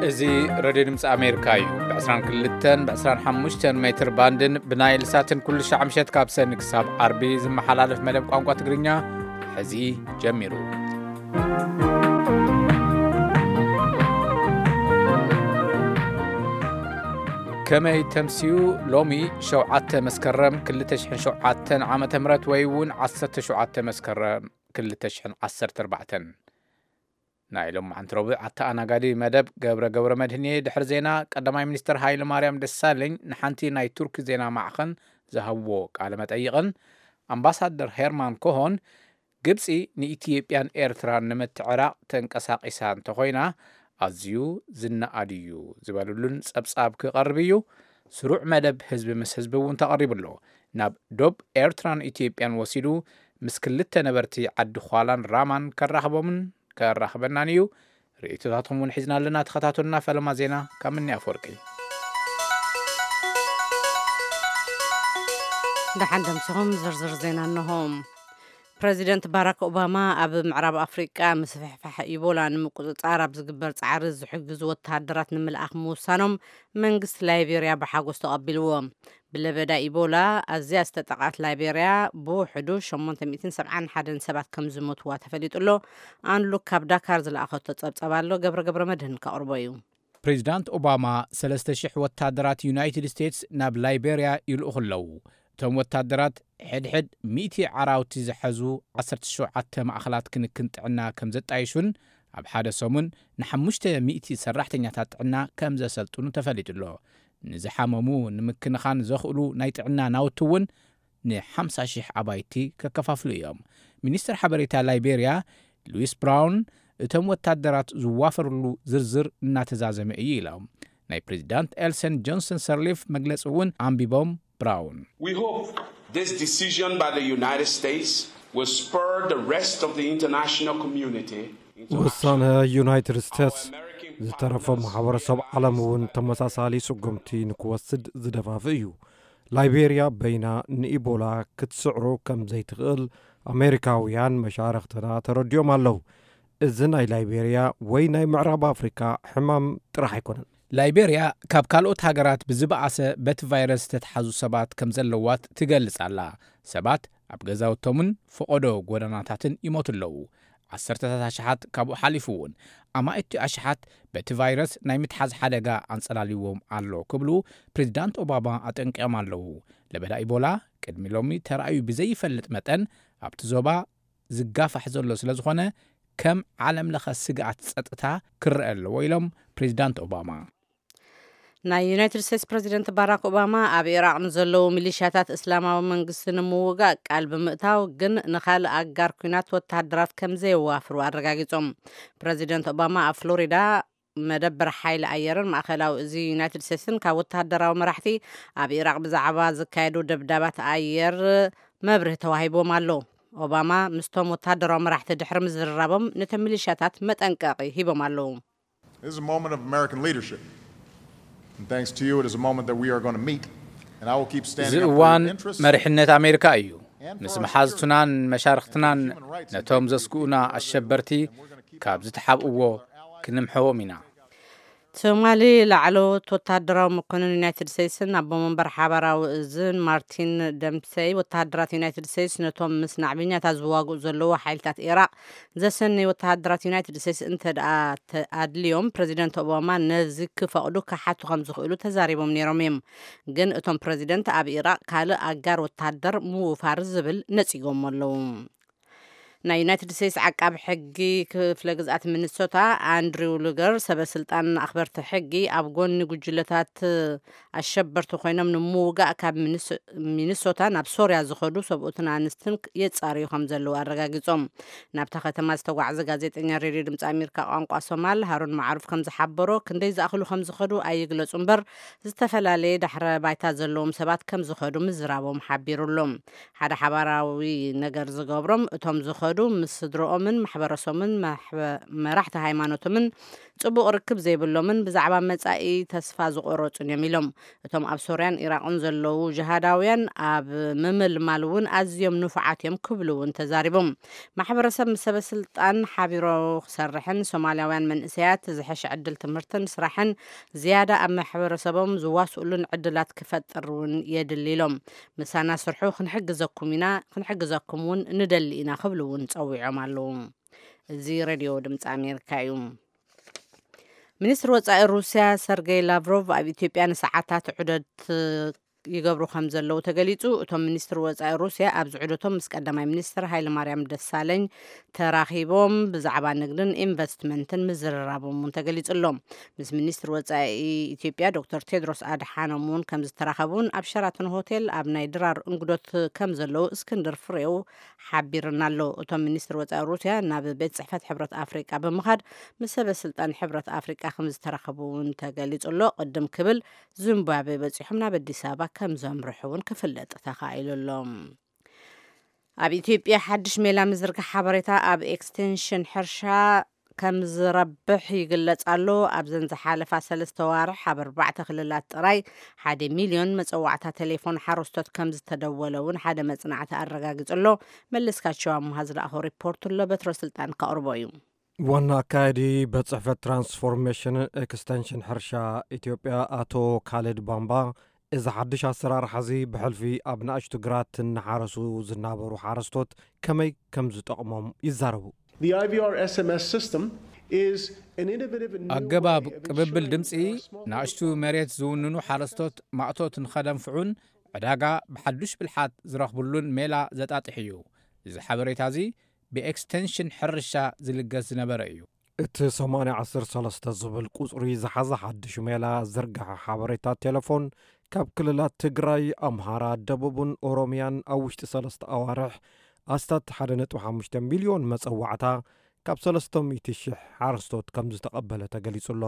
እዚ ሬድዮ ድምፂ ኣሜሪካ እዩ። ብ22 ብ25 ሜትር ባንድን ብናይል ሳትን ኩሉ ሻዕ ምሸት ካብ ሰኒ ክሳብ ዓርቢ ዝመሓላለፍ መደብ ቋንቋ ትግርኛ ሕዚ ጀሚሩ። ከመይ ተምስዩ? ሎሚ ሸውዓተ መስከረም ክልተ ሽሕን ሸውዓተን ዓመተ ምህረት ወይ እውን ዓሰርተ ሸውዓተ መስከረም ክልተ ሽሕን ዓሰርተ ኣርባዕተን። ናይ ሎም መዓንቲ ረቡዕ ኣተኣናጋዲ መደብ ገብረ ገብረ መድህን እየ። ድሕሪ ዜና ቀዳማይ ሚኒስትር ሃይለ ማርያም ደሳለኝ ንሓንቲ ናይ ቱርኪ ዜና ማዕኸን ዝሃብዎ ቃለ መጠይቕን ኣምባሳደር ሄርማን ኮሆን ግብፂ ንኢትዮጵያን ኤርትራን ንምትዕራቕ ተንቀሳቒሳ እንተኾይና ኣዝዩ ዝነኣድ እዩ ዝበሉሉን ጸብጻብ ክቐርብ እዩ። ስሩዕ መደብ ህዝቢ ምስ ህዝቢ እውን ተቐሪቡ ኣሎ። ናብ ዶብ ኤርትራን ኢትዮጵያን ወሲዱ ምስ ክልተ ነበርቲ ዓዲ ዃላን ራማን ከራኽቦምን ከራኽበናን እዩ። ርእይቶታትኩም እውን ሒዝና ኣለና። ተኸታተሉና። ፈለማ ዜና ካብ ምኒ ኣፈወርቂ። ደሓን ደምስኹም። ዝርዝር ዜና እንሆ። ፕረዚደንት ባራክ ኦባማ ኣብ ምዕራብ ኣፍሪቃ ምስፍሕፋሕ ኢቦላ ንምቁጽጻር ኣብ ዝግበር ጻዕሪ ዝሕግዙ ወተሃደራት ንምልኣኽ ምውሳኖም መንግስቲ ላይቤርያ ብሓጎስ ተቐቢልዎ። ብለበዳ ኢቦላ ኣዝያ ዝተጠቕዓት ላይቤርያ ብውሕዱ ሸሞንተ ሚእትን ሰብዓን ሓደን ሰባት ከም ዝሞትዋ ተፈሊጡ ኣሎ። ኣንሉክ ካብ ዳካር ዝለኣኸቶ ጸብጸብ ኣሎ፣ ገብረ ገብረ መድህን ከቕርቦ እዩ። ፕሬዚዳንት ኦባማ ሰለስተ ሽሕ ወታደራት ዩናይትድ ስቴትስ ናብ ላይቤርያ ይልእኹ ኣለዉ። እቶም ወታደራት ሕድሕድ ሚእቲ ዓራውቲ ዝሐዙ ዓሰርተ ሸውዓተ ማእኸላት ክንክን ጥዕና ከም ዘጣይሹን ኣብ ሓደ ሰሙን ንሓሙሽተ ሚእቲ ሰራሕተኛታት ጥዕና ከም ዘሰልጥኑ ተፈሊጡ ኣሎ። ንዝሓመሙ ንምክንኻን ዘኽእሉ ናይ ጥዕና ናውቲ እውን ንሓምሳ ሽሕ ኣባይቲ ከከፋፍሉ እዮም። ሚኒስትር ሓበሬታ ላይቤርያ ሉዊስ ብራውን እቶም ወታደራት ዝዋፈርሉ ዝርዝር እናተዛዘመ እዩ ኢሎም። ናይ ፕሬዚዳንት ኤልሰን ጆንሰን ሰርሊፍ መግለፂ እውን ኣንቢቦም ብራውን We hope this decision by the United States will spur the rest of the international community into ውሳነ ዩናይትድ ስቴትስ ዝተረፈ ማሕበረሰብ ዓለም እውን ተመሳሳሊ ስጉምቲ ንክወስድ ዝደፋፍእ እዩ። ላይቤርያ በይና ንኢቦላ ክትስዕሮ ከም ዘይትኽእል ኣሜሪካውያን መሻርኽትና ተረዲኦም ኣለዉ። እዚ ናይ ላይቤርያ ወይ ናይ ምዕራብ ኣፍሪካ ሕማም ጥራሕ ኣይኮነን። ላይቤርያ ካብ ካልኦት ሃገራት ብዝበኣሰ በቲ ቫይረስ ዝተትሓዙ ሰባት ከም ዘለዋት ትገልጽ ኣላ። ሰባት ኣብ ገዛውቶምን ፈቐዶ ጎደናታትን ይሞቱ ኣለዉ። ዓሰርተታት ኣሽሓት ካብኡ ሓሊፉ እውን ኣማእቲ ኣሽሓት በቲ ቫይረስ ናይ ምትሓዝ ሓደጋ ኣንጸላልዎም ኣሎ ክብሉ ፕሬዚዳንት ኦባማ ኣጠንቂቖም ኣለዉ። ለበዳ ኢቦላ ቅድሚ ሎሚ ተራእዩ ብዘይፈልጥ መጠን ኣብቲ ዞባ ዝጋፋሕ ዘሎ ስለ ዝኾነ ከም ዓለም ለኸ ስግኣት ጸጥታ ክረአ ኣለዎ ኢሎም ፕሬዚዳንት ኦባማ። ናይ ዩናይትድ ስቴትስ ፕረዚደንት ባራክ ኦባማ ኣብ ኢራቕ ንዘለዉ ሚሊሽያታት እስላማዊ መንግስቲ ንምውጋእ ቃል ብምእታው ግን ንኻልእ ኣጋር ኲናት ወተሃደራት ከም ዘየዋፍሩ ኣረጋጊጾም። ፕረዚደንት ኦባማ ኣብ ፍሎሪዳ መደበር ሓይሊ ኣየርን ማእኸላዊ እዚ ዩናይትድ ስቴትስን ካብ ወተሃደራዊ መራሕቲ ኣብ ኢራቕ ብዛዕባ ዝካየዱ ደብዳባት ኣየር መብርሂ ተዋሂቦም ኣሎ። ኦባማ ምስቶም ወተሃደራዊ መራሕቲ ድሕሪ ምዝርራቦም ነቶም ሚሊሽያታት መጠንቀቒ ሂቦም ኣለዉ። This is a moment of American leadership. And thanks to you, it is a moment that we are going to meet. And I will keep እዚ standing up for እዋን your interests መሪሕነት ኣሜሪካ እዩ። And for ምስ our መሓዝቱናን መሻርኽትናን ነቶም ዘስግኡና ኣሸበርቲ ካብ ዝተሓብእዎ ክንምሕዎም ኢና። ትማሊ ላዕለዎት ወታደራዊ መኮንን ዩናይትድ ስቴትስን ኣቦ መንበር ሓባራዊ እዝን ማርቲን ደምሰይ፣ ወተሃደራት ዩናይትድ ስቴትስ ነቶም ምስ ናዕበኛታት ዝዋግኡ ዘለዉ ሓይልታት ኢራቕ ዘሰነዩ ወተሃደራት ዩናይትድ ስቴትስ እንተ ደኣ ኣድልዮም፣ ፕረዚደንት ኦባማ ነዚ ክፈቕዱ ክሓቱ ከም ዝኽእሉ ተዛሪቦም ነይሮም እዮም። ግን እቶም ፕረዚደንት ኣብ ኢራቕ ካልእ ኣጋር ወተሃደር ምውፋር ዝብል ነጺጎሞ ኣለዉ። ናይ ዩናይትድ ስቴትስ ዓቃቢ ሕጊ ክፍለ ግዝኣት ሚኒሶታ ኣንድሪው ሉገር፣ ሰበ ስልጣን ኣኽበርቲ ሕጊ ኣብ ጎኒ ጉጅለታት ኣሸበርቲ ኮይኖም ንምውጋእ ካብ ሚኒስ-፣ ሚኒሶታ ናብ ሶርያ ዝኸዱ ሰብኡትን ኣንስትን የጻርዩ ከም ዘለዉ ኣረጋጊጾም። ናብታ ከተማ ዝተጓዕዘ ጋዜጠኛ ሬድዮ ድምፂ ኣሜሪካ ቋንቋ ሶማል ሃሩን ማዕሩፍ ከም ዝሓበሮ፣ ክንደይ ዝኣኽሉ ከም ዝኸዱ ኣይግለጹ እምበር፣ ዝተፈላለየ ዳሕረ ባይታ ዘለዎም ሰባት ከም ዝኸዱ ምዝራቦም ሓቢሩ ኣሎ። ሓደ ሓባራዊ ነገር ዝገብሮም እቶም ዝኸዱ ዝወሰዱ፣ ምስ ስድረኦምን ማሕበረሰቦምን ማሕበ-፣ መራሕቲ ሃይማኖቶምን ጽቡቕ ርክብ ዘይብሎምን ብዛዕባ መጻኢ ተስፋ ዝቖረጹን እዮም ኢሎም። እቶም ኣብ ሶርያን ኢራቕን ዘለዉ ጅሃዳውያን ኣብ ምምልማል እውን ኣዝዮም ንፉዓት እዮም ክብሉ እውን ተዛሪቦም። ማሕበረሰብ ምስ ሰበ ስልጣን ሓቢሮ ክሰርሕን ሶማልያውያን መንእሰያት ዝሐሸ ዕድል ትምህርትን ስራሕን ዝያዳ ኣብ ማሕበረሰቦም ዝዋስኡሉን ዕድላት ክፈጥር እውን የድሊ ኢሎም። ምሳና ስርሑ ክንሕግዘኩም ኢና፣ ክንሕግዘኩም እውን ንደሊ ኢና ክብሉ እውን ጸዊዖም ኣለዉ። እዚ ሬድዮ ድምፂ ኣሜሪካ እዩ። ሚኒስትር ወጻኢ ሩስያ ሰርጌይ ላቭሮቭ ኣብ ኢትዮጵያ ንሰዓታት ዑደት ይገብሩ ከም ዘለዉ ተገሊጹ። እቶም ሚኒስትር ወጻኢ ሩስያ ኣብዚ ዑደቶም ምስ ቀዳማይ ሚኒስትር ሃይለማርያም ደሳለኝ ተራኺቦም ብዛዕባ ንግድን ኢንቨስትመንትን ምዝርራቦም እውን ተገሊጹ ኣሎ። ምስ ሚኒስትር ወጻኢ ኢትዮጵያ ዶክተር ቴድሮስ ኣድሓኖም እውን ከም ዝተራኸቡን ኣብ ሸራተን ሆቴል ኣብ ናይ ድራር እንግዶት ከም ዘለዉ እስክንድር ፍሬው ሓቢርና ኣሎ። እቶም ሚኒስትር ወጻኢ ሩስያ ናብ ቤት ጽሕፈት ሕብረት ኣፍሪቃ ብምኻድ ምስ ሰበ ስልጣን ሕብረት ኣፍሪቃ ከም ዝተራኸቡ እውን ተገሊጹ ኣሎ። ቅድም ክብል ዚምባብዌ በጺሖም ናብ ኣዲስ ኣበባ ከም ዘምርሑ እውን ክፍለጥ ተኻኢሉ ኣሎ። ኣብ ኢትዮጵያ ሓድሽ ሜላ ምዝርጋሕ ሓበሬታ ኣብ ኤክስቴንሽን ሕርሻ ከም ዝረብሕ ይግለጽ ኣሎ። ኣብዘን ዝሓለፋ ሰለስተ ዋርሕ ኣብ ኣርባዕተ ክልላት ጥራይ ሓደ ሚልዮን መጸዋዕታ ቴሌፎን ሓረስቶት ከም ዝተደወለ እውን ሓደ መጽናዕቲ ኣረጋጊጹ ኣሎ። መለስካቸው ኣምሃ ዝለኣኾ ሪፖርት ኣሎ፣ በትረ ስልጣን ከቕርቦ እዩ። ዋና ኣካያዲ ቤት ጽሕፈት ትራንስፎርሜሽን ኤክስቴንሽን ሕርሻ ኢትዮጵያ ኣቶ ካልድ ባምባ፣ እዚ ሓድሽ ኣሰራርሓ እዚ ብሕልፊ ኣብ ንኣሽቱ ግራት እናሓረሱ ዝናበሩ ሓረስቶት ከመይ ከም ዝጠቕሞም ይዛረቡ። The I V R S M S system is an innovative and new ኣገባብ way of ቅብብል ensuring ድምፂ that our small ንኣሽቱ መሬት ዝውንኑ ሓረስቶት ማእቶት ንኸደንፍዑን ዕዳጋ ብሓዱሽ ብልሓት ዝረኽብሉን ሜላ ዘጣጥሕ እዩ። እዚ ሓበሬታ እዚ ብኤክስቴንሽን ሕርሻ ዝልገስ ዝነበረ እዩ። እቲ ሰማንያ ዓሰርተ ሰለስተ ዝብል ቁጽሪ ዝሓዘ ሓድሽ ሜላ ዝርግሐ ሓበሬታ ቴሌፎን ካብ ክልላት ትግራይ፣ ኣምሃራ፣ ደቡብን ኦሮሚያን ኣብ ውሽጢ ሰለስተ ኣዋርሕ ኣስታት ሓደ ነጥቢ ሓሙሽተ ሚልዮን መጸዋዕታ ካብ ሰለስተ ሚእቲ ሽሕ ሓረስቶት ከም ዝተቐበለ ተገሊጹ ኣሎ።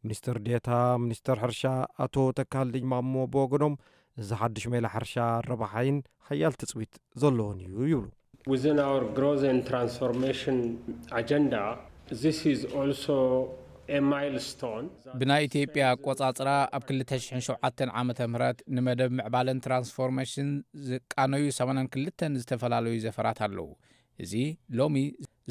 ሚኒስትር ዴታ ሚኒስትር ሕርሻ ኣቶ ተካልኝ ማሞ ብወገኖም፣ እዚ ሓድሽ ሜላ ሕርሻ ረባሓይን ሓያል ትጽቢት ዘለዎን እዩ ይብሉ። Within our growth and transformation agenda, this is also a milestone. ብናይ ኢትዮጵያ ኣቆጻጽራ ኣብ ክልተ ሽሕን ሸውዓተን ዓመተ ምህረት ንመደብ ምዕባለን ትራንስፎርሜሽን ዝቃነዩ ሰማንያን ክልተን ዝተፈላለዩ ዘፈራት ኣለዉ። እዚ ሎሚ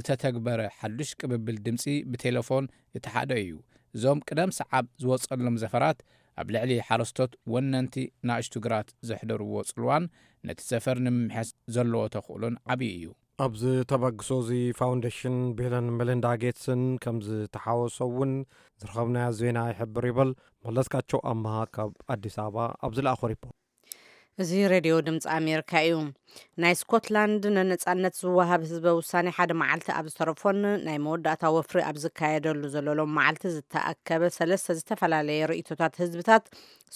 ዝተተግበረ ሓዱሽ ቅብብል ድምፂ ብቴሌፎን እቲ ሓደ እዩ። እዞም ቅደም ሰዓብ ዝወጸሎም ዘፈራት ኣብ ልዕሊ ሓረስቶት ወነንቲ ናእሽቱ ግራት ዘሕደርዎ ጽልዋን ነቲ ዘፈር ንምምሕያሽ ዘለዎ ተኽእሎን ዓብዪ እዩ። ኣብዚ ተበግሶ እዚ ፋውንዴሽን ቢልን ሜሊንዳ ጌትስን ከም ዝተሓወሶ እውን ዝረኸብናዮ ዜና ይሕብር ይብል። መለስካቸው ኣምሃ ካብ ኣዲስ ኣበባ ኣብ ዝለኣኾ ሪፖርት። እዚ ሬድዮ ድምፂ ኣሜሪካ እዩ። ናይ ስኮትላንድ ንነፃነት ዝወሃብ ህዝበ ውሳኔ ሓደ መዓልቲ ኣብ ዝተረፎን ናይ መወዳእታ ወፍሪ ኣብ ዝካየደሉ ዘሎ ሎም መዓልቲ ዝተኣከበ ሰለስተ ዝተፈላለየ ርእይቶታት ህዝብታት፣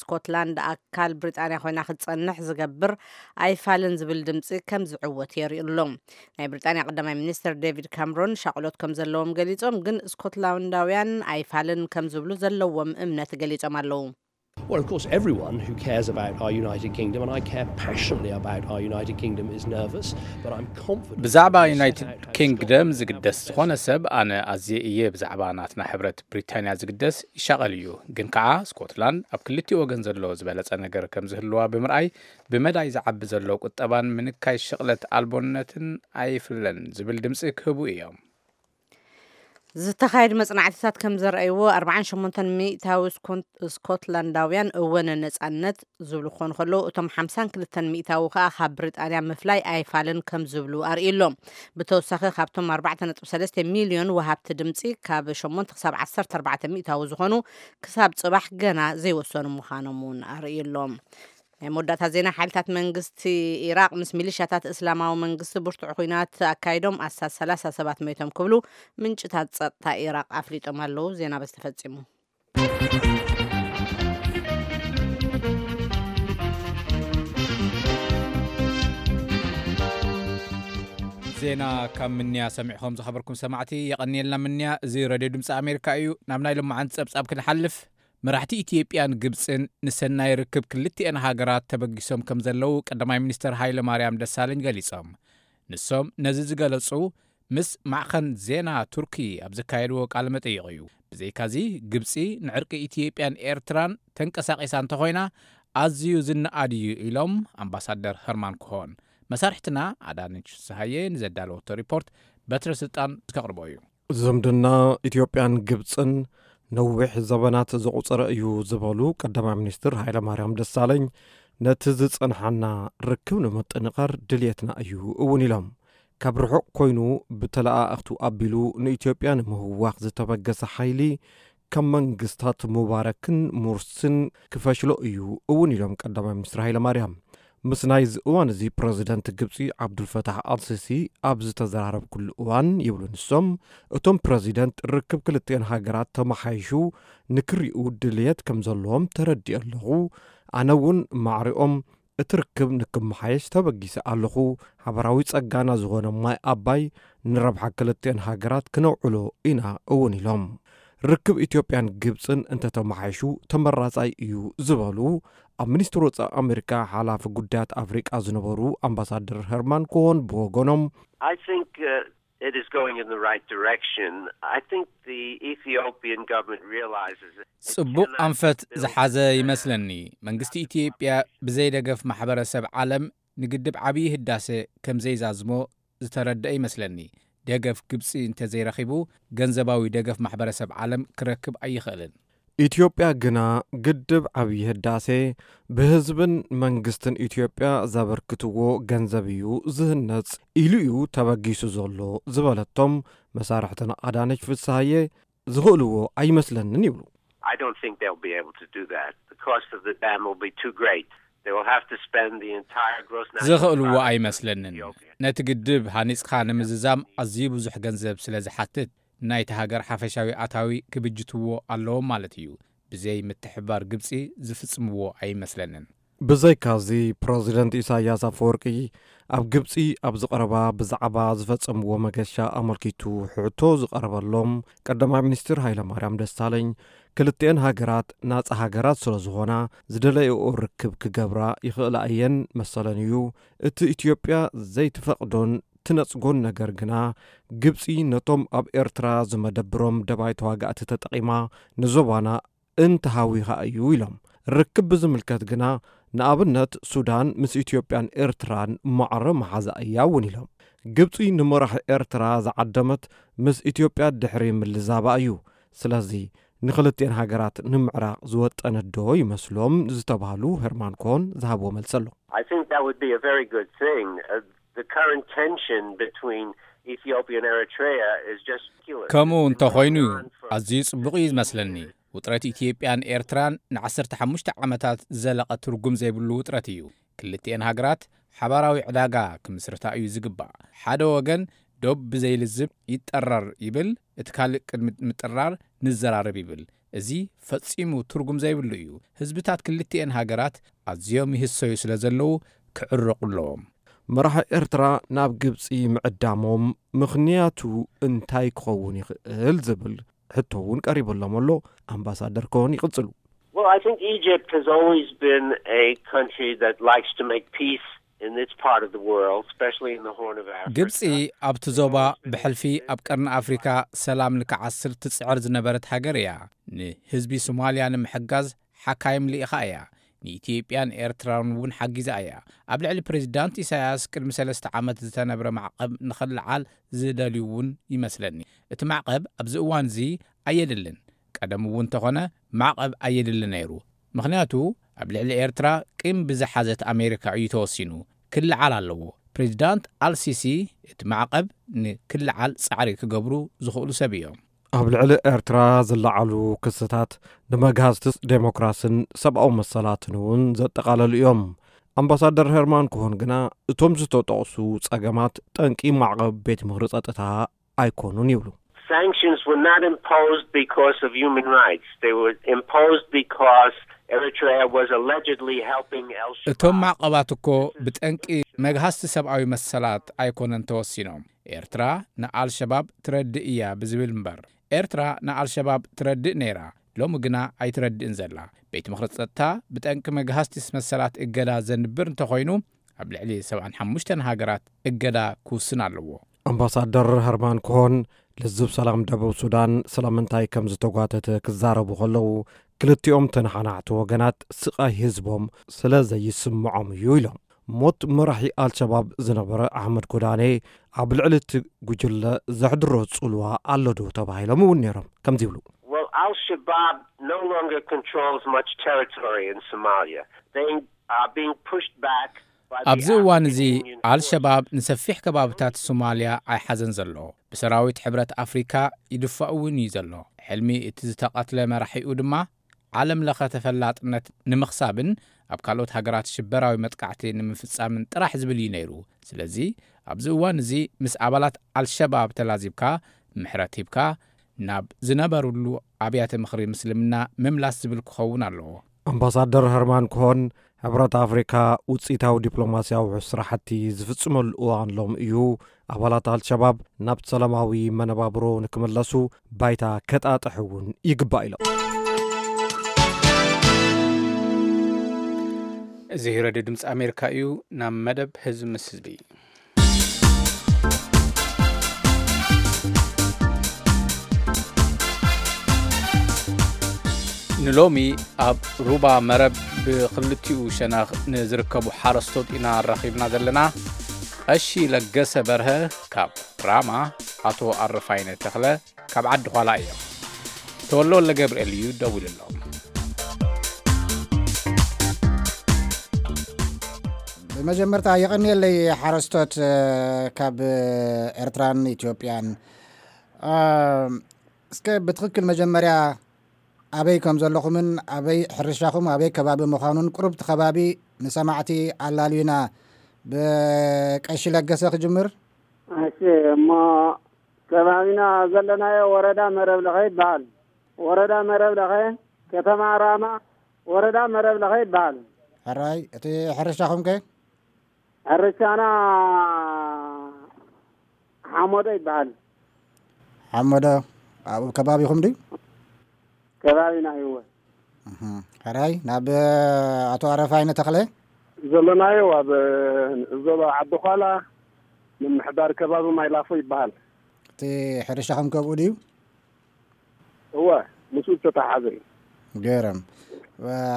ስኮትላንድ ኣካል ብሪጣንያ ኮይና ክትጸንሕ ዝገብር ኣይፋልን ዝብል ድምፂ ከም ዝዕወት የርእዩ ኣሎ። ናይ ብሪጣንያ ቀዳማይ ሚኒስትር ዴቪድ ካምሮን ሻቕሎት ከም ዘለዎም ገሊጾም፣ ግን ስኮትላንዳውያን ኣይፋልን ከም ዝብሉ ዘለዎም እምነት ገሊጾም ኣለዉ። Well, of course, everyone who cares about our United Kingdom, and I care passionately about our United Kingdom, is nervous, but I'm confident ብዛዕባ that the ዩናይትድ set out ኪንግደም ዝግደስ ዝኾነ ሰብ፣ ኣነ ኣዝየ እየ ብዛዕባ ናትና ሕብረት ብሪታንያ ዝግደስ ይሻቐል እዩ። ግን ከኣ ስኮትላንድ ኣብ ክልቲኡ ወገን ዘሎ ዝበለጸ ነገር ከም ዝህልዋ ብምርኣይ፣ ብመዳይ ዝዓቢ ዘሎ ቁጠባን ምንካይ ሽቕለት ኣልቦነትን ኣይፍለን ዝብል ድምጺ ክህቡ እዮም። ዝተኻየዱ መጽናዕትታት ከም ዘርኣይዎ፣ ኣርባዓን ሸሞንተን ሚእታዊ ስኮን-፣ ስኮትላንዳውያን እወ ንነጻነት ዝብሉ ክኾኑ ከለዉ፣ እቶም ሓምሳን ክልተን ሚእታዊ ከኣ ካብ ብሪጣንያ ምፍላይ ኣይፋልን ከም ዝብሉ ኣርእዩ ኣሎ። ብተወሳኺ፣ ካብቶም ኣርባዕተ ነጥቢ ሰለስተ ሚልዮን ወሃብቲ ድምጺ፣ ካብ ሸሞንተ ክሳብ ዓሰርተ ኣርባዕተ ሚእታዊ ዝኾኑ ክሳብ ጽባሕ ገና ዘይወሰኑ ምዃኖም እውን ኣርእዩ ኣሎ። ናይ መወዳእታ ዜና፣ ሓይልታት መንግስቲ ኢራቕ ምስ ሚሊሻታት እስላማዊ መንግስቲ ብርቱዕ ኲናት ኣካይዶም ኣስታት ሰላሳ ሰባት መይቶም ክብሉ ምንጭታት ጸጥታ ኢራቕ ኣፍሊጦም ኣለዉ። ዜና በዚ ተፈጺሙ። ዜና ካብ ምንያ ሰሚዕኹም ዝኸበርኩም ሰማዕቲ የቐንየልና ምንያ። እዚ ሬድዮ ድምፂ ኣሜሪካ እዩ። ናብ ናይ ሎማዓንቲ ጸብጻብ ክንሓልፍ፣ መራሕቲ ኢትዮጵያን ግብፅን ንሰናይ ርክብ ክልቲአን ሃገራት ተበጊሶም ከም ዘለዉ ቀዳማይ ሚኒስትር ሃይለ ማርያም ደሳለኝ ገሊጾም። ንሶም ነዚ ዝገለጹ ምስ ማዕኸን ዜና ቱርኪ ኣብ ዘካየድዎ ቃለ መጠይቕ እዩ። ብዘይካዚ፣ ግብጺ ንዕርቂ ኢትዮጵያን ኤርትራን ተንቀሳቒሳ እንተኾይና፣ ኣዝዩ ዝነኣድ እዩ ኢሎም ኣምባሳደር ኸርማን ኮሆን። መሳርሕትና ኣዳነች ፍስሃየ ንዘዳለወቶ ሪፖርት በትረ ስልጣን ዝከቕርቦ እዩ። ዝምድና ኢትዮጵያን ግብጽን ነዊሕ ዘበናት ዘቑጸረ እዩ ዝበሉ ቀዳማይ ሚኒስትር ሃይለማርያም ደሳለኝ፣ ነቲ ዝጸንሓና ርክብ ንምጥንቓር ድልየትና እዩ እውን ኢሎም። ካብ ርሑቕ ኮይኑ ብተለኣኣኽቱ ኣቢሉ ንኢትዮጵያ ንምህዋኽ ዝተበገሰ ሓይሊ ከም መንግስታት ሙባረክን ሙርስን ክፈሽሎ እዩ እውን ኢሎም ቀዳማይ ሚኒስትር ሃይለማርያም። ምስ ናይዚ እዋን እዚ ፕረዚደንት ግብጺ ዓብዱልፈታሕ ኣልሲሲ ኣብ ዝተዘራረብኩሉ እዋን ይብሉ ንሶም፣ እቶም ፕረዚደንት ርክብ ክልቲኤን ሃገራት ተመሓይሹ ንክሪኡ ድልየት ከም ዘለዎም ተረዲኦ ኣለኹ። ኣነ እውን ማዕሪኦም እቲ ርክብ ንክመሓየሽ ተበጊሰ ኣለኹ። ሓበራዊ ጸጋና ዝኾነ ማይ ኣባይ ንረብሓ ክልቲኤን ሃገራት ክነውዕሎ ኢና እውን ኢሎም። ርክብ ኢትዮጵያን ግብጽን እንተተመሓይሹ ተመራጻይ እዩ ዝበሉ ኣብ ሚኒስትሪ ወጻኢ ኣሜሪካ ሓላፊ ጉዳያት ኣፍሪቃ ዝነበሩ ኣምባሳደር ሄርማን ኮሆን ብወገኖም፣ I think uh, it is going in the right direction. I think the Ethiopian government realizes it ጽቡቕ cannot ኣንፈት build ዝሓዘ ይመስለኒ። መንግስቲ ኢትዮጵያ ብዘይ ደገፍ ማሕበረሰብ ዓለም ንግድብ ዓብዪ ህዳሴ ከም ዘይዛዝሞ ዝተረድአ ይመስለኒ። ደገፍ ግብጺ እንተዘይረኺቡ፣ ገንዘባዊ ደገፍ ማሕበረሰብ ዓለም ክረክብ ኣይኽእልን። ኢትዮጵያ ግና ግድብ ዓብዪ ህዳሴ ብህዝብን መንግስትን ኢትዮጵያ ዘበርክትዎ ገንዘብ እዩ ዝህነጽ ኢሉ እዩ ተበጊሱ ዘሎ ዝበለቶም መሳርሕትና ኣዳነች ፍስሃየ፣ ዝኽእልዎ ኣይመስለንን ይብሉ። I don't think they'll be able to do that. The cost of the dam will be too great. They will have to spend the entire gross national ዝኽእልዎ product of ኣይመስለንን። Ethiopia. ነቲ ግድብ ሃኒጽካ ንምዝዛም ኣዝዩ ብዙሕ ገንዘብ ስለ ዝሓትት፣ ናይቲ ሃገር ሓፈሻዊ ኣታዊ ክብጅትዎ ኣለዎም ማለት እዩ። ብዘይ ምትሕብባር ግብጺ ዝፍጽምዎ ኣይመስለንን። ብዘይካዚ፣ ፕረዚደንት ኢሳያስ ኣፈወርቂ ኣብ ግብጺ ኣብ ዝቐረባ ብዛዕባ ዝፈጸምዎ መገሻ ኣመልኪቱ ሕቶ ዝቐረበሎም ቀዳማይ ሚኒስትር ሃይለማርያም ደሳለኝ፣ ክልቲኤን ሃገራት ናጻ ሃገራት ስለ ዝኾና ዝደለይኦ ርክብ ክገብራ ይኽእላ እየን መሰለን እዩ። እቲ ኢትዮጵያ ዘይትፈቕዶን ትነጽጎን ነገር ግና፣ ግብጺ ነቶም ኣብ ኤርትራ ዝመደብሮም ደባይ ተዋጋእቲ ተጠቒማ ንዞባና እንተሃዊኻ እዩ ኢሎም። ርክብ ብዝምልከት ግና፣ ንኣብነት ሱዳን ምስ ኢትዮጵያን ኤርትራን ማዕረ መሓዛ እያ እውን ኢሎም። ግብጺ ንመራሒ ኤርትራ ዝዓደመት ምስ ኢትዮጵያ ድሕሪ ምልዛባ እዩ። ስለዚ ንክልቲኤን ሃገራት ንምዕራቕ ዝወጠነት ዶ ይመስሎም ዝተባህሉ ሄርማን ኮን ዝሃብዎ መልሲ ኣሎ። I think that would be a very good thing. Uh, the current tension between Ethiopia and Eritrea is just ridiculous. ከምኡ It's been እንተኾይኑ going on for ኣዝዩ ጽቡቕ እዩ ዝመስለኒ። ውጥረት ኢትዮጵያን ኤርትራን ንዓሰርተ ሓሙሽተ ዓመታት ዝዘለቐ ትርጉም ዘይብሉ ውጥረት እዩ። ክልቲኤን ሃገራት ሓባራዊ ዕዳጋ ክምስርታ እዩ ዝግባእ። ሓደ ወገን ዶብ ብዘይልዝብ ይጠረር ይብል፣ እቲ ካልእ ቅድሚ ምጥራር ንዘራረብ ይብል። እዚ ፈጺሙ ትርጉም ዘይብሉ እዩ። ህዝብታት ክልቲኤን ሃገራት ኣዝዮም ይህሰዩ ስለ ዘለዉ ክዕረቑ ኣለዎም። መራሒ ኤርትራ ናብ ግብጺ ምዕዳሞም ምኽንያቱ እንታይ ክኸውን ይኽእል ዝብል ሕቶ እውን ቀሪቡሎም ኣሎ። ኣምባሳደር ኮን ይቕጽሉ። Well, I think Egypt has always been a country that likes to make peace in its part of the world, especially in the Horn of Africa. ግብጺ ኣብቲ ዞባ ብሕልፊ ኣብ ቀርኒ ኣፍሪካ ሰላም ንክዓስል ትጽዕር ዝነበረት ሃገር እያ። ንህዝቢ ሶማልያ ንምሕጋዝ ሓካይም ልኢኻ እያ። ንኢትዮጵያን ኤርትራን እውን ሓጊዛ እያ። ኣብ ልዕሊ ፕሬዚዳንት ኢሳያስ ቅድሚ ሰለስተ ዓመት ዝተነብረ ማዕቐብ ንኽልዓል ዝደልዩ እውን ይመስለኒ። እቲ ማዕቐብ ኣብዚ እዋን እዚ ኣየድልን። ቀደም እውን እንተኾነ ማዕቐብ ኣየድሊ ነይሩ። ምኽንያቱ ኣብ ልዕሊ ኤርትራ ቂም ብዝሓዘት ኣሜሪካ እዩ ተወሲኑ። ክልዓል ኣለዎ። ፕሬዚዳንት ኣልሲሲ እቲ ማዕቐብ ንክልዓል ጻዕሪ ክገብሩ ዝኽእሉ ሰብ እዮም። ኣብ ልዕሊ ኤርትራ ዝለዓሉ ክስታት ንመግሃስቲ ዴሞክራስን ሰብኣዊ መሰላትን እውን ዘጠቓለሉ እዮም። ኣምባሳደር ሄርማን ኮሆን ግና እቶም ዝተጠቕሱ ጸገማት ጠንቂ ማዕቐብ ቤት ምኽሪ ጸጥታ ኣይኮኑን ይብሉ። Sanctions were not imposed because of human rights. They were imposed because Eritrea was allegedly helping Al-Shabaab. እቶም ማዕቐባት እኮ ብጠንቂ መግሃስቲ ሰብኣዊ መሰላት ኣይኮነን ተወሲኖም። ኤርትራ ንኣልሸባብ ትረድእ እያ ብዝብል እምበር፣ ኤርትራ ንኣልሸባብ ትረድእ ነይራ፣ ሎሚ ግና ኣይትረድእን ዘላ። ቤት ምኽሪ ጸጥታ ብጠንቂ መግሃስቲ መሰላት እገዳ ዘንብር እንተኾይኑ፣ ኣብ ልዕሊ ሰብዓን ሓሙሽተን ሃገራት እገዳ ክውስን ኣለዎ። ኣምባሳደር ሀርማን ኮሆን፣ ልዝብ ሰላም ደቡብ ሱዳን ስለምንታይ ከም ዝተጓተተ ክዛረቡ ከለዉ፣ ክልቲኦም ተነሓናሕቲ ወገናት ስቓይ ህዝቦም ስለ ዘይስምዖም እዩ ኢሎም። ሞት መራሒ ኣልሸባብ ዝነበረ ኣሕመድ ጎዳኔ ኣብ ልዕሊ እቲ ጉጅለ ዘሕድሮ ጽልዋ ኣሎ ዶ ተባሂሎም እውን ነይሮም። ከምዚ ይብሉ። Well, Al Shabaab no longer controls much territory in Somalia. They are being pushed back by the ኣብዚ እዋን እዚ African Union ኣልሸባብ ንሰፊሕ ከባብታት ሶማልያ ኣይሓዘን ዘሎ። ብሰራዊት ሕብረት ኣፍሪካ ይድፋእ እውን እዩ ዘሎ። ሕልሚ እቲ ዝተቐትለ መራሒኡ ድማ ዓለም ለኸ ተፈላጥነት ንምኽሳብን ኣብ ካልኦት ሃገራት ሽበራዊ መጥቃዕቲ ንምፍጻምን ጥራሕ ዝብል እዩ ነይሩ። ስለዚ ኣብዚ እዋን እዚ ምስ ኣባላት ኣልሸባብ ተላዚብካ፣ ምሕረት ሂብካ፣ ናብ ዝነበሩሉ ኣብያተ ምኽሪ ምስልምና ምምላስ ዝብል ክኸውን ኣለዎ። ኣምባሳደር ሀርማን ኮሆን፣ ሕብረት ኣፍሪካ ውፅኢታዊ ዲፕሎማስያዊ ስራሕቲ ዝፍጽመሉ እዋን ሎም እዩ። ኣባላት ኣልሸባብ ናብ ሰላማዊ መነባብሮ ንክምለሱ ባይታ ከጣጥሕ እውን ይግባእ ኢሎም። እዚ ሬድዮ ድምፂ ኣሜሪካ እዩ። ናብ መደብ ህዝቢ ምስ ህዝቢ። ንሎሚ ኣብ ሩባ መረብ ብክልቲኡ ሸነኽ ንዝርከቡ ሓረስቶት ኢና ኣራኺብና ዘለና። ቀሺ ለገሰ በርሀ ካብ ራማ፣ ኣቶ ኣረፋይነ ተኽለ ካብ ዓዲ ዃላ እዮም። ተወልደ ወልደ ገብርኤል እዩ ደዊሉሎም። ብመጀመርታ የቐንየለይ ሓረስቶት፣ እ፣ ካብ ኤርትራን ኢትዮጵያን። እ፣ እስከ ብትኽክል መጀመርያ ኣበይ ከም ዘለኹምን ኣበይ ሕርሻኹም ኣበይ ከባቢ ምዃኑን ቁሩብ እቲ ከባቢ ንሰማዕቲ ኣላልዩና። ብቀሺ ለገሰ ክጅምር። እሺ፣ እሞ ከባቢና ዘለናዮ ወረዳ መረብ ለኸ ይበሃል። ወረዳ መረብ ለኸ፣ ከተማ ራማ፣ ወረዳ መረብ ለኸ ይበሃል። ሕራይ፣ እቲ ሕርሻኹም ከ? ሕርሻና ሓሞዶ ይበሃል። ሓሞዶ ኣብኡ ከባቢኹም ድዩ? ከባቢና እዩ። እህ፣ ሕራይ፣ ናብ ኣቶ ኣረፋይነ ተኽለ? ዘለናዮ ኣብ ዞባ ዓዲ ዃላ፣ ምምሕዳር ከባቢ ማይላፎ ይበሃል። እቲ ሕርሻኹም ከብኡ ድዩ? እወ፣ ምስኡ ዝተተሓሓዘ እዩ። ገረም።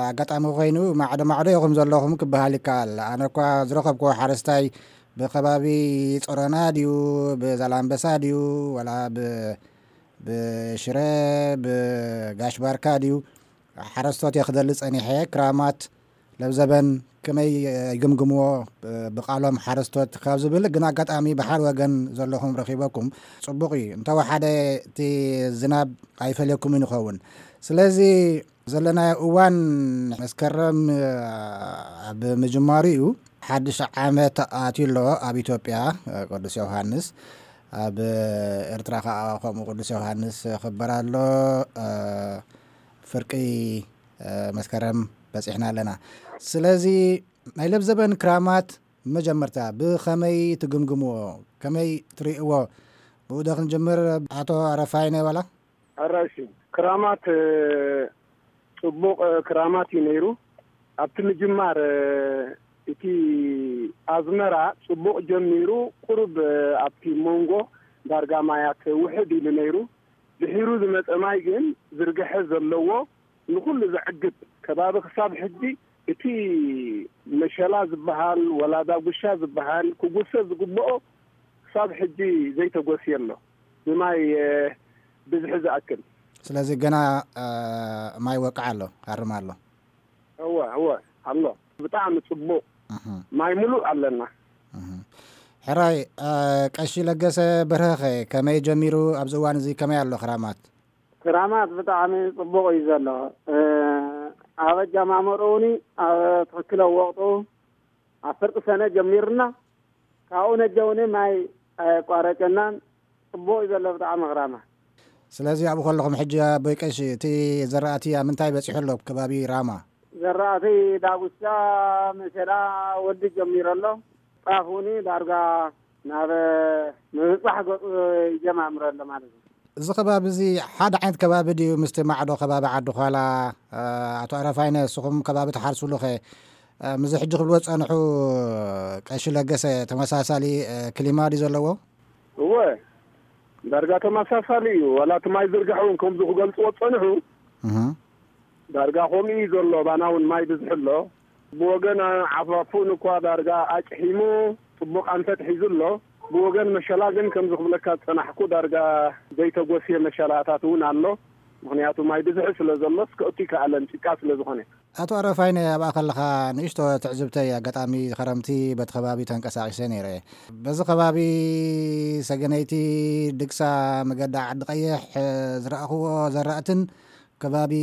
ኣጋጣሚ ኮይኑ ማዕዶ ማዕዶ ኢኹም ዘለኹም ክበሃል ይከኣል። ኣነ እኳ ዝረኸብክዎ ሓረስታይ ብከባቢ ጾሮና ድዩ፣ ብዛላምበሳ ድዩ፣ ወላ ብ-፣ ብሽረ፣ ብጋሽ ባርካ ድዩ፣ ሓረስቶት እየ ክደሊ ጸኒሐ። ክራማት ለብዘበን ከመይ ይግምግምዎ፣ ብቃሎም ሓረስቶት ካብ ዝብል ግን ኣጋጣሚ ብሓደ ወገን ዘለኹም ረኺበኩም ጽቡቕ እዩ። እንተወሓደ እቲ ዝናብ ኣይፈልየኩምን ይኸውን። ስለዚ ዘለናዮ እዋን መስከረም ኣብ ምጅማሩ እዩ። ሓድሽ ዓመት ኣትዩ ኣሎ ኣብ ኢትዮጵያ ቅዱስ ዮሃንስ። ኣብ ኤርትራ ከኣ ከምኡ ቅዱስ ዮሃንስ ክበር ኣሎ። ፍርቂ መስከረም በጺሕና ኣለና። ስለዚ ናይ ለብዘበን ክራማት መጀመርታ ብኸመይ ትግምግምዎ? ከመይ ትርእይዎ? ብኡ ዶ ክንጅምር ኣቶ ኣረፋይነ ዋላ? ሕራይ እሺ፣ ክራማት፣ እ፣ ጽቡቕ፣ እ፣ ክራማት እዩ ነይሩ። ኣብቲ ምጅማር፣ እ፣ እቲ ኣዝመራ ጽቡቕ ጀሚሩ፣ ቁሩብ፣ እ፣ ኣብቲ መንጎ ዳርጋ ማያት ውሕድ ኢሉ ነይሩ። ድሒሩ ዝመጸ ማይ ግን ዝርግሐ ዘለዎ፣ ንኹሉ ዘዕግብ ከባቢ ክሳብ ሕጂ እቲ መሸላ ዝበሃል ወላ ዳጉሻ ዝበሃል ክጉሰ ዝግብኦ ክሳብ ሕጂ ዘይተጎስየ ኣሎ፣ ብማይ፣ እ፣ ብዝሒ ዝኣክል። ስለዚ ገና፣ እ፣ ማይ ወቅዕ ኣሎ፣ ሃርም ኣሎ። እወ፣ እወ፣ ኣሎ። ብጣዕሚ ጽቡቕ። እህ። ማይ ምሉእ ኣለና። እህ። ሕራይ፣ እ፣ ቀሺ ለገሰ በርሀኸ ከመይ ጀሚሩ? ኣብዚ እዋን እዚ ከመይ ኣሎ ክራማት? ክራማት ብጣዕሚ ጽቡቕ እዩ ዘሎ። እ፣ ኣብ ኣጀማምርኡ እውን ኣብ ትኽክለ ወቕጡ ኣብ ፍርቂ ሰነ ጀሚርና፣ ካብኡ ነጀ እውን ማይ ኣየቋረጨናን። ጽቡቕ እዩ ዘሎ ብጣዕሚ ክራማት። ስለዚ ኣብኡ ከለኹም ሕጂ ኣቦይ ቀሺ፣ እቲ ዘራእቲ ኣብ ምንታይ በጺሑ ኣሎ ኣብ ከባቢ ራማ? ዘራእቲ ዳጉሻ፣ መሸላ ወዲ ጀሚሩ ኣሎ። ጣፍ እውን ዳርጋ ናብ ምብጻሕ ገጹ ይጀማምር ኣሎ ማለት እዩ። እዚ ከባቢ እዚ ሓደ ዓይነት ከባቢ ድዩ ምስቲ ማዕዶ ከባቢ ዓዲ ዃላ? እ፣ ኣቶ ኣረፋይነ፣ ንስኹም ከባቢ ትሓርስሉ ኸ እ፣ ምስዚ ሕጂ ክብልዎ ዝጸንሑ ቀሺ ለገሰ ተመሳሳሊ፣ እ፣ ክሊማ ድዩ ዘለዎ? እወ፣ ዳርጋ ተመሳሳሊ እዩ። ዋላ እቲ ማይ ዝርጋሕ እውን ከምዚ ክገልጽዎ ዝጸንሑ፣ እህ። ዳርጋ ከምኡ እዩ ዘሎ። ባና እውን ማይ ብዝሒ ኣሎ። ብወገን ዓፋፉን እኳ ዳርጋ ኣጭሒሙ፣ ጽቡቕ ኣንፈት ሒዙ ኣሎ። ብወገን መሸላ ግን ከምዚ ክብለካ ዝጸናሕኩ ዳርጋ ዘይተጎስየ መሸላታት እውን ኣሎ። ምኽንያቱ ማይ ብዝሒ ስለ ዘሎ እስከ እቱ ይከኣለን ጭቃ ስለ ዝኾነ። ኣቶ ኣረፋይነ፣ ኣብኣ ከለኻ ንእሽቶ ትዕዝብተይ፣ ኣጋጣሚ ኸረምቲ በቲ ከባቢ ተንቀሳቒሰ ነይረ። በዚ ከባቢ ሰገነይቲ፣ ድግሳ፣ መገዲ ዓዲ ቀይሕ፣ እ፣ ዝረኣኽዎ ዘራእትን ከባቢ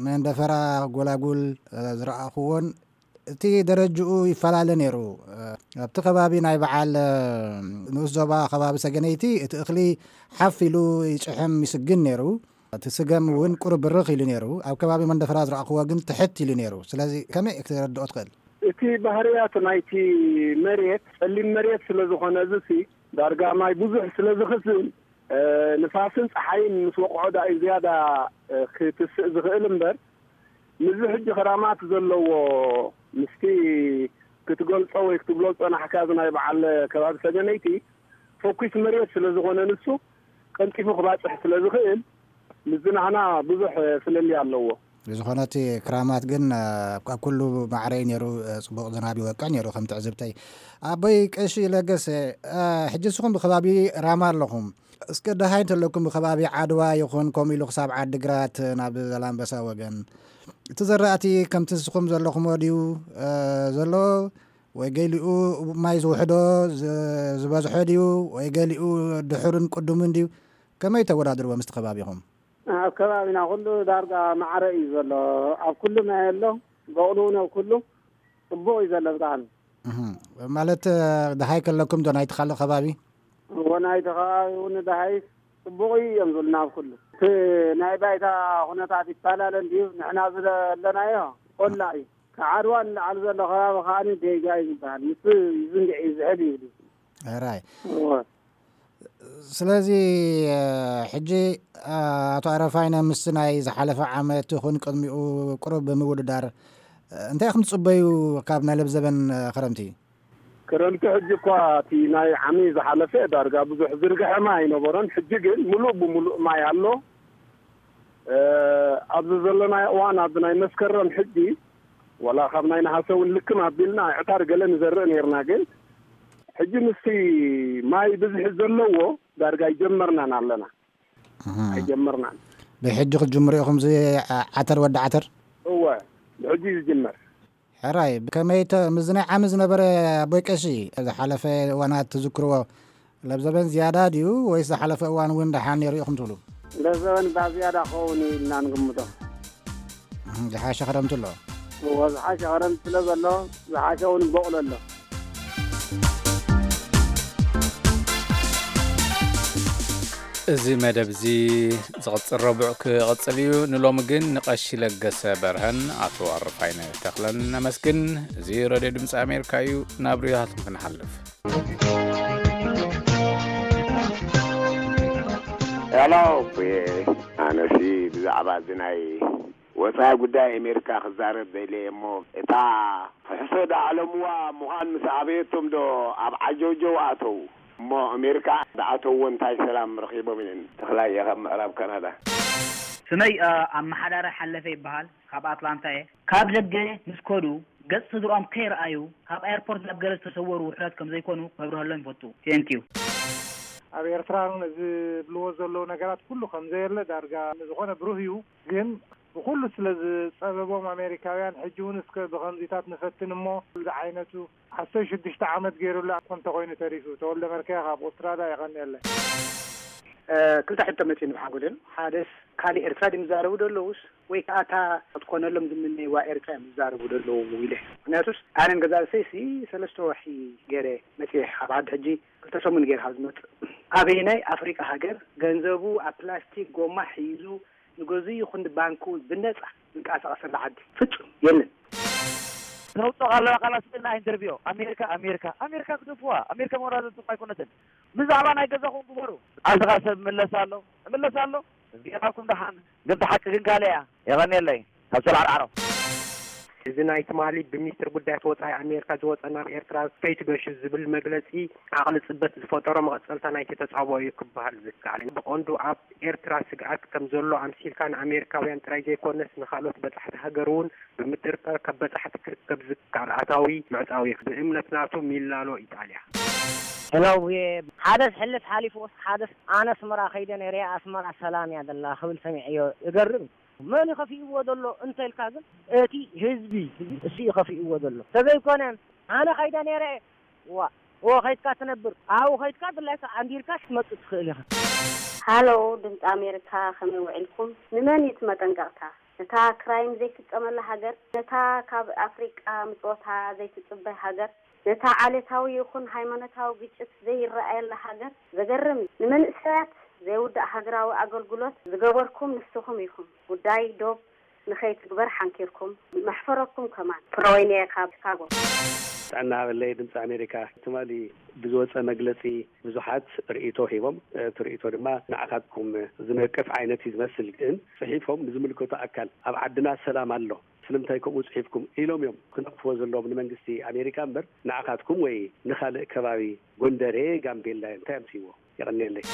መንደፈራ፣ ጎላጉል፣ እ፣ ዝረኣኽዎን እቲ ደረጅኡ ይፈላለ ነይሩ። እ፣ ኣብቲ ከባቢ ናይ በዓል፣ እ፣ ንኡስ ዞባ ከባቢ ሰገነይቲ እቲ እኽሊ ሓፍ ኢሉ ይጭሕም ይስግን ነይሩ። እቲ ስገም እውን ቁሩብ ብርኽ ኢሉ ነይሩ። ኣብ ከባቢ መንደፈራ ዝረኣኽዎ ግን ትሕት ኢሉ ነይሩ። ስለዚ ከመይ ክትረድኦ ትኽእል? እቲ ባህርያት ናይቲ መሬት ጸሊም መሬት ስለ ዝኾነ፣ እዚ ሲ ዳርጋ ማይ ብዙሕ ስለ ዝኽስል፣ እ፣ ንፋስን ጸሓይን ምስ ወቕዖ ደኣ እዩ ዝያዳ፣ እ፣ ክትስእ ዝኽእል እምበር፣ ምስዚ ሕጂ ክራማት ዘለዎ፣ ምስቲ ክትገልጾ ወይ ክትብሎ ዝጸናሕካ፣ እዚ ናይ በዓል ከባቢ ሰገነይቲ፣ ፈኲስ መሬት ስለ ዝኾነ፣ ንሱ ቀልጢፉ ክባጽሕ ስለ ዝኽእል፣ ምስዚ ናህና ብዙሕ ፍልልይ ኣለዎ። ብዝኾነ እቲ ክራማት ግን፣ እ፣ ኣብ ኩሉ ማዕረ እዩ ነይሩ፣ እ፣ ጽቡቕ ዝናብ ይወቅዕ ነይሩ ከም ትዕዝብተይ። ኣቦይ ቀሺ ለገሰ፣ እ፣ ሕጂ ንስኹም ብከባቢ ራማ ኣለኹም። እስከ ደሃይ እንተለኩም ብከባቢ ዓድዋ ይኹን ከምኡ ኢሉ ክሳብ ዓዲግራት ናብ ዛላምበሳ ወገን፣ እቲ ዘራእቲ ከምቲ ንስኹም ዘለኹሞ ድዩ፣ እ፣ ዘሎ? ወይ ገሊኡ ማይ ዝውሕዶ ዝ-፣ ዝበዝሖ ድዩ? ወይ ገሊኡ ድሑርን ቅዱምን ድዩ? ከመይ ተወዳድርዎ ምስቲ ከባቢኹም? ኣብ ከባቢና ኩሉ ዳርጋ ማዕረ እዩ ዘሎ። ኣብ ኩሉ ማይ ኣሎ። በቕሉ እውን ኣብ ኩሉ ጽቡቕ እዩ ዘሎ ብጣዕሚ። እህ። ማለት፣ እ፣ ደሃይ ከለኩም ዶ ናይቲ ካልእ ከባቢ? እዎ፣ ናይቲ ከባቢ እውን ደሃይ ጽቡቕ እዩ እዮም ዝብሉና ኣብ ኩሉ። እቲ ናይ ባይታ ኩነታት ይፈላለ እንድዩ። ንሕና ዝለ-፣ ዘለናዮ ቆላ እዩ። ካብ ዓድዋ ንላዕሊ ዘሎ ከባቢ ከኣ ጌጋ እዩ ዝበሃል። ንሱ ይዝንግዕ እዩ ዝሕል ይብሉ። ሕራይ። እዎ። ስለዚ፣ እ፣ ሕጂ፣ እ፣ ኣቶ ኣረፋይነ፣ ምስቲ ናይ ዝሓለፈ ዓመት ይኹን ቅድሚኡ ቁሩብ ብምውድዳር፣ እ፣ እንታይ ኢኹም ትጽበዩ ካብ ናይ ለብዘበን፣ እ፣ ክረምቲ? ክረምቲ ሕጂ እኳ እቲ ናይ ዓሚ ዝሓለፈ ዳርጋ ብዙሕ ዝርግሐ ማይ ኣይነበሮን። ሕጂ ግን ምሉእ ብምሉእ ማይ ኣሎ። እ፣ ኣብዚ ዘለናዮ እዋን፣ ኣብዚ ናይ መስከረም ሕጂ፣ ዋላ ካብ ናይ ነሃሰ እውን ልክም ኣቢልና ኣዕታር ገለ ንዘርእ ነይርና፣ ግን ሕጂ ምስቲ ማይ ብዝሒ ዘለዎ ዳርጋ ኣይጀመርናን ኣለና። እህ። ኣይጀመርናን። ብሕጂ ክትጅምሩ ኢኹም እዚ ዓ-፣ ዓተር ወዲ ዓተር? እወ፣ ብሕጂ እዩ ዝጅመር። ሕራይ፣ ከመይ ተ-፣ ምስዚ ናይ ዓሚ ዝነበረ ኣቦይ ቀሺ፣ ዝሓለፈ እዋናት ትዝክርዎ፣ ለብዘበን ዝያዳ ድዩ ወይስ ዝሓለፈ እዋን እውን ደሓን ነይሩ ኢኹም ትብሉ? ለብዘበን እባ ዝያዳ ክኸውን እዩ ኢልና ንግምቶ። እህ፣ ዝሓሸ ክረምቲ ኣሎ። እዎ፣ ዝሓሸ ክረምቲ ስለ ዘሎ፣ ዝሓሸ እውን በቑሎ ኣሎ። እዚ መደብ እዚ ዝቕጽል ረቡዕ ክቕጽል እዩ። ንሎሚ ግን ንቐሺ ለገሰ በርሀን ኣቶ ኣረፋይነ ተኽለን ነመስግን። እዚ ሬድዮ ድምፂ ኣሜሪካ እዩ። ናብ ርያትን ክንሓልፍ። ሄሎ፣ ኣነሲ ብዛዕባ እዚ ናይ ወፃኢ ጉዳይ ኣሜሪካ ክዛረብ ደልየ እሞ፣ እታ ሕሶ ዳዕለምዋ ምዃን ምስ ኣበየቶም ዶ ኣብ ዓጀውጀው ኣተው? እሞ ኣሜሪካ ዝኣተውዎ እንታይ ሰላም ረኺቦም እዮም? ተኽላይ እየ ካብ ምዕራብ ካናዳ። ስመይ፣ እ፣ ኣመሓዳሪ ሓለፈ ይበሃል። ካብ ኣትላንታ እየ። ካብ ደገ ምስ ከዱ ገጽ ስድርኦም ከይረኣዩ፣ ካብ ኣየርፖርት ናብ ገለ ዝተሰወሩ ውሑዳት ከም ዘይኮኑ ከብርሀሎም ይፈቱ። ቴንኪዩ። ኣብ ኤርትራ እውን ዝብልዎ ዘለዉ ነገራት ኩሉ ከም ዘየለ ዳርጋ ንዝኾነ ብሩህ እዩ። ግን ብኹሉ ስለ ዝጸበቦም ኣሜሪካውያን፣ ሕጂ እውን እስከ ብኸምዚታት ንፈትን እሞ፣ ዝዓይነቱ ዓሰርተ ሽዱሽተ ዓመት ገይሩላ እኮ እንተኾይኑ ተሪፉ። ተወልደ መርከያ ካብ ኣውስትራልያ፣ የቐንየለይ። እ፣ ክልተ ሕቶ መጺኡኒ ብሓጎደን። ሓደስ፣ ካልእ ኤርትራ ድዮም ዝዛረቡ ዘለዉስ፣ ወይ ከኣ እታ ክትኮነሎም ዝምነይዋ ኤርትራ እዮም ዝዛረቡ ዘለዉ ኢለ። ምኽንያቱስ ኣነን ገዛእ ርእሰይሲ ሰለስተ ወርሒ ገይረ መጺኤ፣ ኣብ ዓዲ ሕጂ ክልተ ሰሙን ገይረ ካብ ዝመጽእ። ኣበየናይ ኣፍሪቃ ሃገር ገንዘቡ ኣብ ፕላስቲክ ጎማ ሒዙ ንገዝኡ ይኹን ንባንኩ ብነጻ ዝንቀሳቐሰላ ዓዲ ፍጹም የለን። ተውፅኦ ኣለዋ ቃላት ስእልና ኢንተርቪው ኣሜሪካ ኣሜሪካ ኣሜሪካ ግደፍዋ። ኣሜሪካ መወዳደርትኩም ኣይኮነትን። ብዛዕባ ናይ ገዛኹም ግበሩ። ዓድኻ ሰብ ይምለስ ኣሎ ይምለስ ኣሎ። ዜናኩም ደሓን ግን እቲ ሓቂ ግን ካልእ እያ። የቐንየለይ ካብ ሰላዕርዓሮ። እዚ ናይ ትማሊ ብሚኒስትር ጉዳያት ወጻኢ ኣሜሪካ ዝወጸ ናብ ኤርትራ ከይትገሹ ዝብል መግለጺ ዓቕሊ ጽበት ዝፈጠሮ መቐጸልታ ናይቲ ተጻብኦ እዩ ክበሃል ዝከኣል። ብቐንዱ ኣብ ኤርትራ ስግኣት ከም ዘሎ ኣምሲልካ ንኣሜሪካውያን ጥራይ ዘይኮነስ ንኻልኦት በጻሕቲ ሃገር እውን ብምጥርጣር ካብ በጻሕቲ ክርከብ ዝከኣል ኣታዊ ምዕጻው እዩ። ብእምነት ናቱ ሚላኖ ኢጣልያ። ሄሎ፣ ሓደ ዝሕልፍ ሓሊፉ፣ ሓደ ኣነ ኣስመራ ከይደ ነይረ፣ ኣስመራ ሰላም እያ ዘላ ክብል ሰሚዐዮ። ይገርም እዩ። መን እዩ ከፊእዎ ዘሎ እንተልካ ግን እቲ ህዝቢ እሱ እዩ ከፊእዎ ዘሎ። ተዘይኮነ ኣነ ከይደ ነይረ፣ ዋ፣ ኦ ከይድካ ትነብር፣ ኣብኡ ከይድካ ድላይካ ኣንዲርካ ክትመጽእ ትኽእል ኢኻ። ሃሎ ድምፂ ኣሜሪካ፣ ከመይ ውዒልኩም? ንመን እዩ እቲ መጠንቀቕታ? ነታ ክራይም ዘይፍጸመላ ሃገር፣ ነታ ካብ ኣፍሪቃ ምጽወታ ዘይትጽበ ሃገር፣ ነታ ዓሌታዊ ይኹን ሃይማኖታዊ ግጭት ዘይረኣየላ ሃገር። ዘገርም እዩ። ንመንእሰያት ዘይውዳእ ሃገራዊ ኣገልግሎት ዝገበርኩም ንስኹም ኢኹም። ጉዳይ ዶብ ንኸይትግበር ሓንኪርኩም። መሕፈረኩም ከማን። ፍረወይኒ እየ ካብ ቺካጎ። ጥዕና ሃበለይ ድምፂ ኣሜሪካ። ትማሊ ብዝወፀ መግለፂ ብዙሓት ርእይቶ ሂቦም። እቲ ርእይቶ ድማ ንዓኻትኩም ዝነቅፍ ዓይነት እዩ ዝመስል። ግን ፅሒፎም ንዝምልከቶ ኣካል ኣብ ዓድና ሰላም ኣሎ ስለምንታይ ከምኡ ፅሒፍኩም ኢሎም እዮም ክነቅፍዎ ዘለዎም ንመንግስቲ ኣሜሪካ እምበር ንዓኻትኩም ወይ ንኻልእ ከባቢ ጎንደሬ፣ ጋምቤላ እንታይ ኣምፅዎ? የቐንየለይ።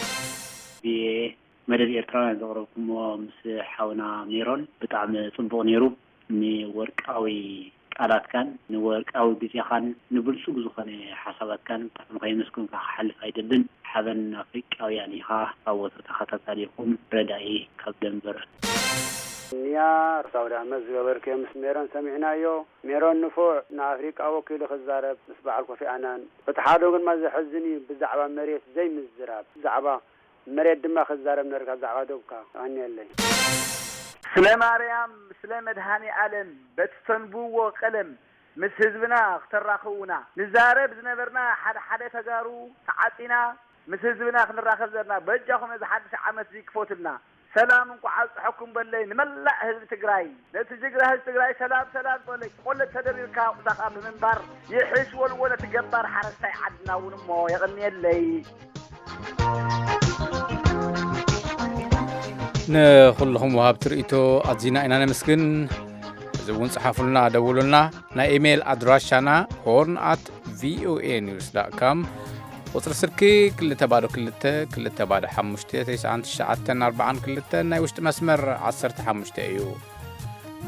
መደብ ኤርትራውያን ዘቕረብኩሞ ምስ ሓውና ሜሮን ብጣዕሚ ጽቡቕ ነይሩ። ንወርቃዊ ቃላትካን ንወርቃዊ ግዜኻን ንብልጹግ ዝኾነ ሓሳባትካን ብጣዕሚ ከየመስገንኩኻ ክሓልፍ ኣይደልን። ሓበን ኣፍሪቃውያን ኢኻ። ኣወቶ ተኸታታሊኹም ረዳኢ ካብ ደንቨር። ንያ ርሳው ዳህመት ዝገበርክዮ ምስ ሜሮን ሰሚዕናዮ። ሜሮን ንፉዕ ንኣፍሪቃ ወኪሉ ክዛረብ ምስ በዓል ኮፊ ኣናን። እቲ ሓደኡ ግንማ ዘሕዝን እዩ ብዛዕባ መሬት ዘይምዝራብ። ብዛዕባ መሬት ድማ ክዛረብ ነርካ ብዛዕባ ዶብካ። የቐንየለይ። ስለ ማርያም ስለ መድሃኔ ኣለም በቲ ተንብዎ ቀለም ምስ ህዝብና ክተራኽቡና ንዛረብ ዝነበርና ሓደ ሓደ ተጋሩ ተዓጺና ምስ ህዝብና ክንራኸብ ዘርና በጃኹም ነዚ ሓድሽ ዓመት እዚ ክፈቱልና ሰላም እንኳዕ ኣብፅሐኩም በለይ ንመላእ ህዝቢ ትግራይ ነቲ ጅግና ህዝቢ ትግራይ ሰላም ሰላም በለይ ቆለት ተደሪርካ ቁዛኻ ብምንባር ይሕሽ ወልዎ ነቲ ገባር ሓረስታይ ዓድና እውን እሞ የቐንየለይ። ንኹልኹም ወሃብቲ ርእይቶ ኣዚና ኢና ነመስግን። እዚ እውን ጽሓፉልና፣ ደውሉልና። ናይ ኢሜይል ኣድራሻና ሆርን ኣት ቪኦኤ ኒውስ ዳት ካም፣ ቁጽሪ ስልኪ ክልተ ባዶ ክልተ ክልተ ባዶ ሓሙሽተ ተስዓን ትሽዓተን ኣርባዓን ክልተን፣ ናይ ውሽጢ መስመር ዓሰርተ ሓሙሽተ እዩ።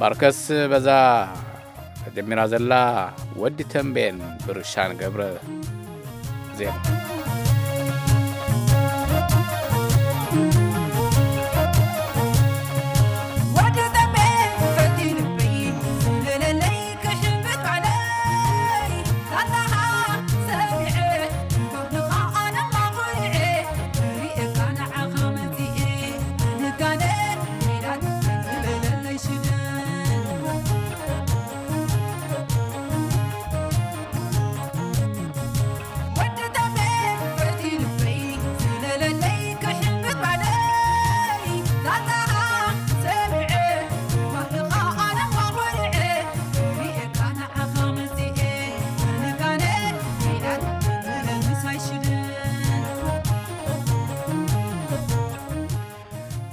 ባርከስ በዛ ተጀሚራ ዘላ ወዲ ተንቤን ብርሻን ገብረ ዜማ።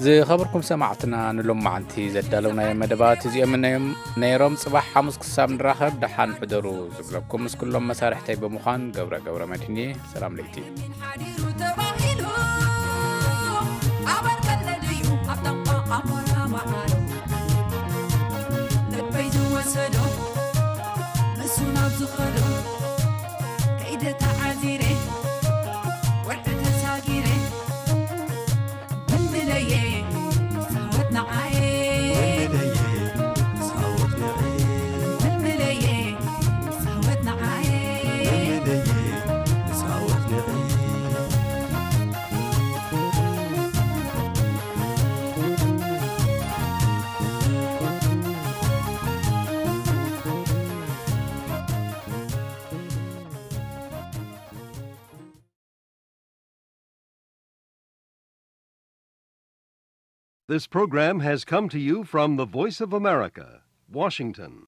ዝኸበርኩም ሰማዕትና፣ ንሎማዓንቲ ዘዳለውናዮም መደባት እዚኦም እዮም ነይሮም። ጽባሕ ሓሙስ ክሳብ ንራኸብ ደሓን ሕደሩ ዝብለኩም ምስ ኩሎም መሳርሕተይ ብምዃን ገብረ ገብረ መድህን እየ። ሰላም ለይቲ። This program has come to you from the Voice of America, Washington.